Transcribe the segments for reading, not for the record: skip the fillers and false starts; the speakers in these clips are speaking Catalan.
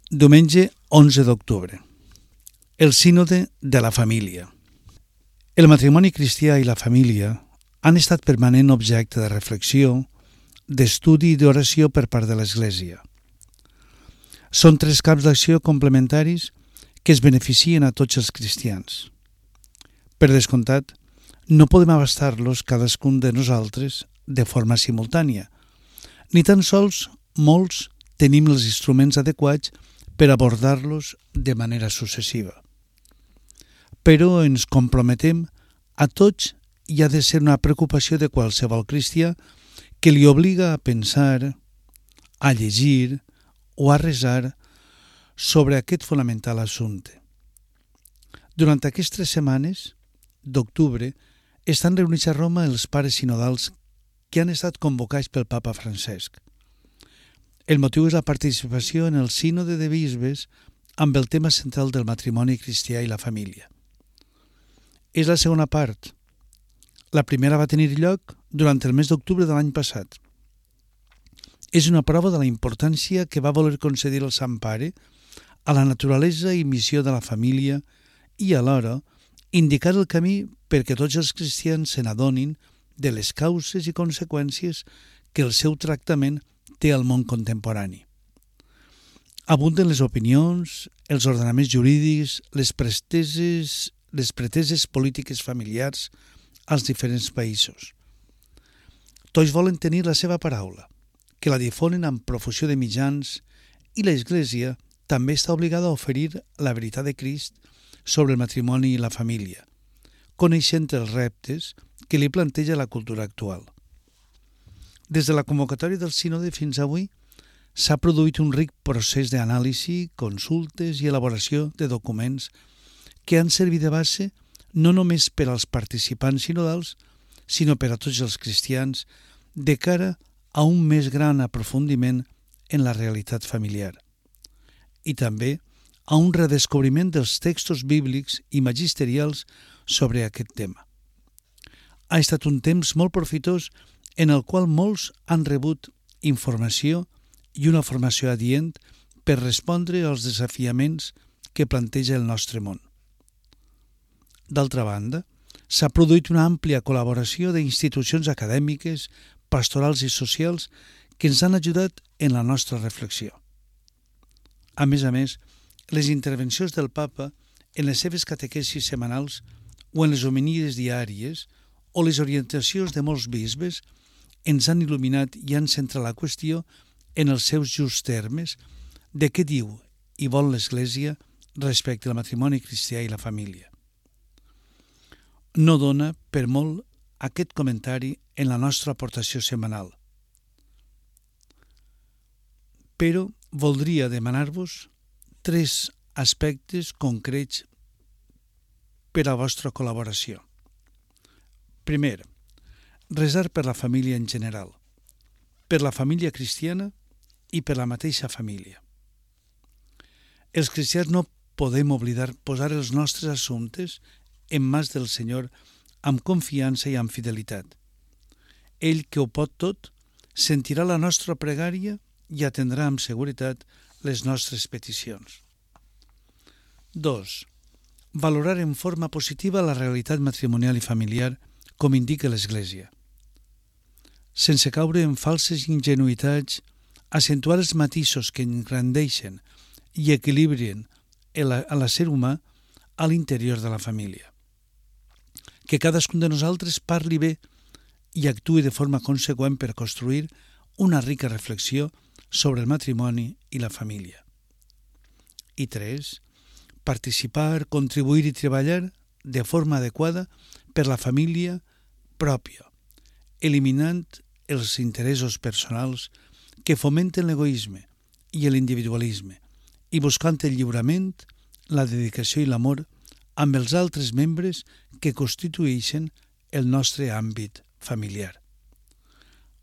Diumenge 11 d'octubre. El sínode de la família. El matrimoni cristià i la família han estat permanent objecte de reflexió, d'estudi i d'oració per part de l'Església. Són tres camps d'acció complementaris que es beneficien a tots els cristians. Per descomptat, no podem abastar-los cadascun de nosaltres de forma simultània, ni tan sols molts tenim els instruments adequats per abordar-los de manera successiva. Però ens comprometem a tots i ha de ser una preocupació de qualsevol cristià que li obliga a pensar, a llegir o a resar sobre aquest fonamental assumpte. Durant aquestes setmanes d'octubre estan reunits a Roma els pares sinodals que han estat convocats pel Papa Francesc. El motiu és la participació en el sínode de bisbes amb el tema central del matrimoni cristià i la família. És la segona part. La primera va tenir lloc durant el mes d'octubre de l'any passat. És una prova de la importància que va voler concedir el Sant Pare a la naturalesa i missió de la família i alhora indicar el camí perquè tots els cristians se n'adonin de les causes i conseqüències que el seu tractament té al món contemporani. Abunden les opinions, els ordenaments jurídics, les preteses polítiques familiars als diferents països. Tots volen tenir la seva paraula, que la difonen amb profusió de mitjans, i l'Església també està obligada a oferir la veritat de Crist sobre el matrimoni i la família, coneixent els reptes que li planteja la cultura actual. Des de la convocatòria del sínode fins avui s'ha produït un ric procés d'anàlisi, consultes i elaboració de documents que han servit de base no només per als participants sinodals, sinó per a tots els cristians de cara a un més gran aprofundiment en la realitat familiar i també a un redescobriment dels textos bíblics i magisterials sobre aquest tema. Ha estat un temps molt profitós en el qual molts han rebut informació i una formació adient per respondre als desafiaments que planteja el nostre món. D'altra banda, s'ha produït una àmplia col·laboració d'institucions acadèmiques, pastorals i socials que ens han ajudat en la nostra reflexió. A més, les intervencions del Papa en les seves catequesis setmanals o en les homilies diàries o les orientacions de molts bisbes ens han il·luminat i han centrat la qüestió en els seus justs termes de què diu i vol l'Església respecte al matrimoni cristià i la família. No dona per molt aquest comentari en la nostra aportació setmanal. Però voldria demanar-vos tres aspectes concrets per a la vostra col·laboració. Primer, resar per la família en general, per la família cristiana i per la mateixa família. Els cristians no podem oblidar posar els nostres assumptes en mans del Senyor amb confiança i amb fidelitat. Ell, que ho pot tot, sentirà la nostra pregària i atendrà amb seguretat les nostres peticions. 2. Valorar en forma positiva la realitat matrimonial i familiar com indica l'Església. Sense caure en falses ingenuïtats, acentuar els matisos que engrandeixen i equilibren a l'ésser humà a l'interior de la família. Que cadascun de nosaltres parli bé i actuï de forma conseqüent per construir una rica reflexió sobre el matrimoni i la família. I 3. Participar, contribuir i treballar de forma adequada per la família pròpia, eliminant els interessos personals que fomenten l'egoisme i l'individualisme i buscant el lliurament, la dedicació i l'amor amb els altres membres que constitueixen el nostre àmbit familiar.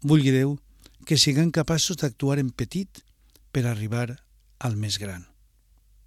Vulgui Déu que siguem capaços d'actuar en petit per arribar al més gran.